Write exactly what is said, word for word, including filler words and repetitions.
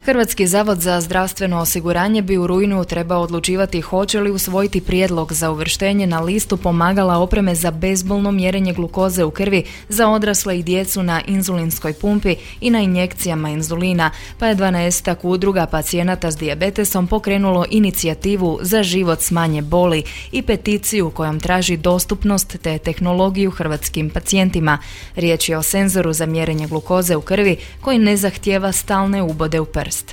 Hrvatski zavod za zdravstveno osiguranje bi u rujnu trebao odlučivati hoće li usvojiti prijedlog za uvrštenje na listu pomagala opreme za bezbolno mjerenje glukoze u krvi za odrasle i djecu na inzulinskoj pumpi i na injekcijama inzulina, pa je dvanaestak udruga pacijenata s dijabetesom pokrenulo inicijativu za život s manje boli i peticiju kojom traži dostupnost te tehnologiju hrvatskim pacijentima. Riječ je o senzoru za mjerenje glukoze u krvi koji ne zahtijeva stalne ubode u prst.